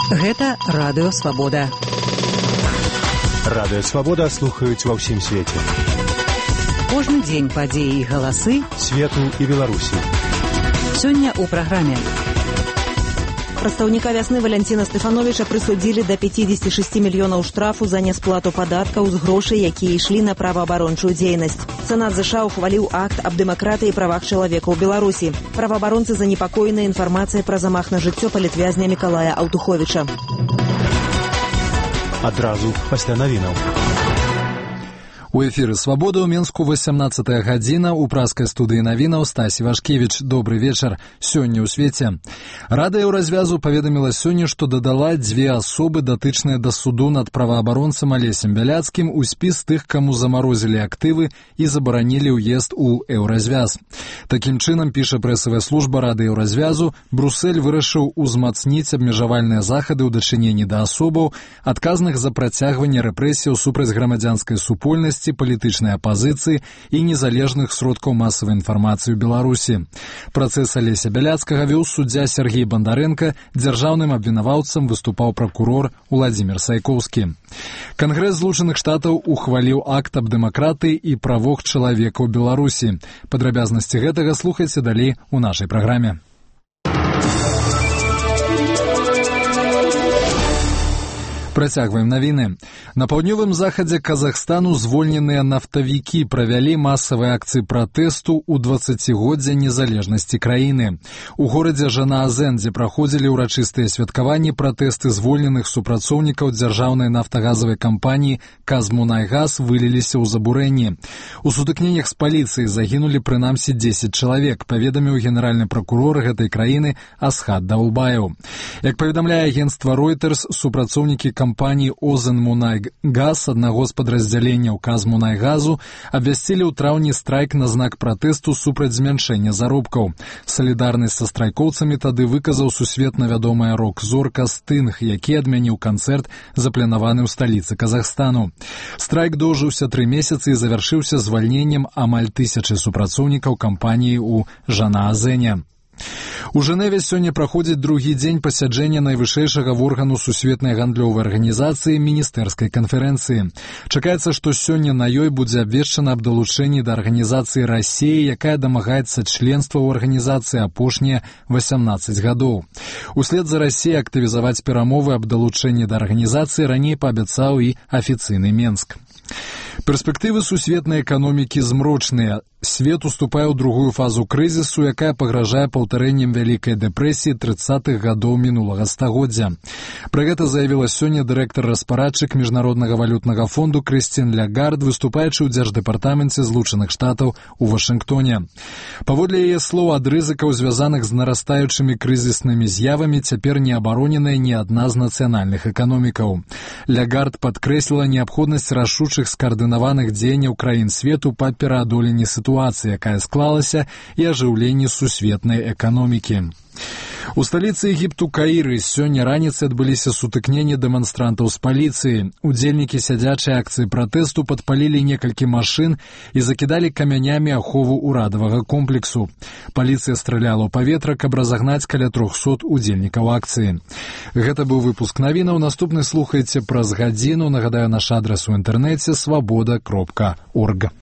Гэта Радыё Свабода. Радыё Свабода слухаюць ва ўсім свеце. Кожны дзень падзеі і галасы свету і Беларусі. Сёння ў праграме. Прадстаўніка вясны Валянціна Стэфановіча прысудзілі да 56 мільёнаў штрафу за несплату падаткаў з грошай, якія ішлі на праваабарончую дзейнасць. Сенат ЗША ухваліў акт аб дэмакратыі і правах чалавека ў Беларусі. Праваабаронцы занепакоены інфармацыяй пра замах на жыццё палітвязня Мікалая Аўтуховіча. Адразу пасля навінаў. У эфіры «Свабода» ў Менску 18 гадзіна. У праскай студыі навінаў Стасі Вашкевіч. Добры вечар. Сёння ў свеце. Рада Еўразвязу паведаміла сёння, што дадала дзве асобы, датычныя да суду над праваабаронцам Алесем Бяляцкім, у спіс тых, каму замарозілі актывы і забаранілі ўезд у Еўразвяз. Такім чынам, піша прэсавая служба Рады Еўразвязу, Брусель вырашыў узмацніць абмежавальныя захады ў дачыненні да асобаў, адказных за працягванне рэпрэсіяў супраць грамадзянскай супольнасці, палітычнай апазіцыі і незалежных сродкаў масавай інфармацыі ў Беларусі. Працэс Алеся Бяляцкага вёў суддзя Сергей Бандарэнка, дзяржаўным абвінаваўцам выступаў пракурор Уладзімір Сайкоўскі. Кангрэс Злучаных Штатаў ухваліў акт аб дэмакратыі і правах чалавека ў Беларусі. Падрабязнасці гэтага слухайце далей у нашай праграме. Працягваем навіны. На паўднёвым захадзе Казахстану звольненыя нафтавікі правялі масавыя акцыі пратэсту ў 20годдзе незалежнасці краіны. У горадзе Жанаазен, дзе праходзілі ўрачыстыя святкаванні, пратэсты звольненых супрацоўнікаў дзяржаўнай нафтагазавай кампаніі «Казмунайгаз» выліліся ў забурэнні. У сутыкненнях з паліцыяй загінулі прынамсі 10 чалавек, паведаміў генеральны пракурор гэтай краіны Асхат Даулбаев. Як паведамляе агенцтва Reuters, супрацоўнікі кампаніі «Озенмунайгаз», аднаго з падраздзяленняў «Казмунайгазу», абвясцілі ў траўні страйк на знак пратэсту супраць змяншэння заробкаў. Салідарнасць са страйкоўцамі тады выказаў сусветна вядомая рок-зорка Стынг, які адмяніў канцэрт, запланаваны ў сталіцы Казахстану. Страйк доўжыўся 3 месяцы і завяршыўся звальненнем амаль 1000 супрацоўнікаў кампаніі ў Жанаазене. У Жэневе сёння праходзіць другі дзень пасяджэння найвышэйшага органу сусветнай гандлёвай арганізацыі міністэрскай канферэнцыі. Чакаецца, што сёння на ёй будзе абвешчана аб далучэнні да арганізацыі Расіі, якая дамагаецца членства ў арганізацыі апошнія 18 гадоў. Услед за Расіяй актывізаваць перамовы аб далучэнні да арганізацыі раней паабяцаў і афіцыйны Менск. Перспектывы сусветнай эканомікі змрочныя. Свет уступае ў другую фазу крызісу, якая пагражае паўтарэннем Вялікай дэпрэсіі 30-х гадоў мінулага стагоддзя. Пра гэта заявіла сёння дырэктар-распарадчык Міжнароднага валютнага фонду Крыстін Лягард, выступаючы ў Дзярждэпартаменце Злучаных Штатаў у Вашынгтоне. Паводле яе слоў, ад рызыкаў, звязаных з нарастаючымі крызіснымі з'явамі, цяпер не абароненая ні адна з нацыянальных эканомікаў. Лягард падкрэсліла неабходнасць рашучых скаардынаваных дзеянняў краін свету па пераадоленні сітуацыі, якая склалася, і ажыўленні сусветнай эканомікі. У сталіцы Егіпту Каіры сёння раніцай адбыліся сутыкненні дэманстрантаў з паліцыяй. Удзельнікі сядзячай акцыі пратэсту падпалілі некалькі машын і закідалі камянямі ахову ўрадавага комплексу. Паліцыя страляла ў паветра, каб разагнаць каля 300 удзельнікаў акцыі. Гэта быў выпуск навінаў. Наступны слухайце праз гадзіну. Нагадаю, наш адрас у інтэрнэце свабода.орг.